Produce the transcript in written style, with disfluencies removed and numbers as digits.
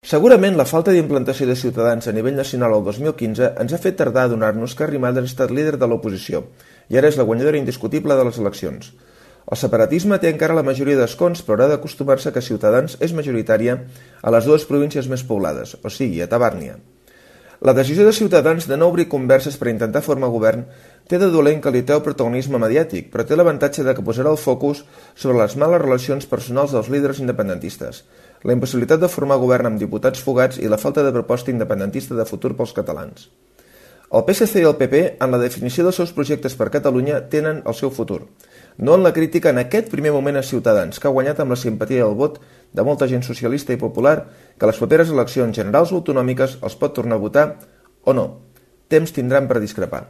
Segurament la falta d'implantació de Ciutadans a nivell nacional el 2015 ens ha fet tardar a adonar-nos que Arrimadas ha estat líder de l'oposició i ara és la guanyadora indiscutible de les eleccions. El separatisme té encara la majoria d'escons, però haurà d'acostumar-se que Ciutadans és majoritària a les dues províncies més poblades, o sigui, a Tabàrnia. La decisió de Ciutadans de no obrir converses per intentar formar govern té de dolent que li treu protagonisme mediàtic, però té l'avantatge de que posarà el focus sobre les males relacions personals dels líders independentistes, la impossibilitat de formar govern amb diputats fugats i la falta de proposta independentista de futur pels catalans. El PSC i el PP, en la definició dels seus projectes per Catalunya, tenen el seu futur, no en la crítica en aquest primer moment a Ciutadans, que ha guanyat amb la simpatia i el vot de molta gent socialista i popular que a les properes eleccions generals o autonòmiques els pot tornar a votar o no. Temps tindran per discrepar.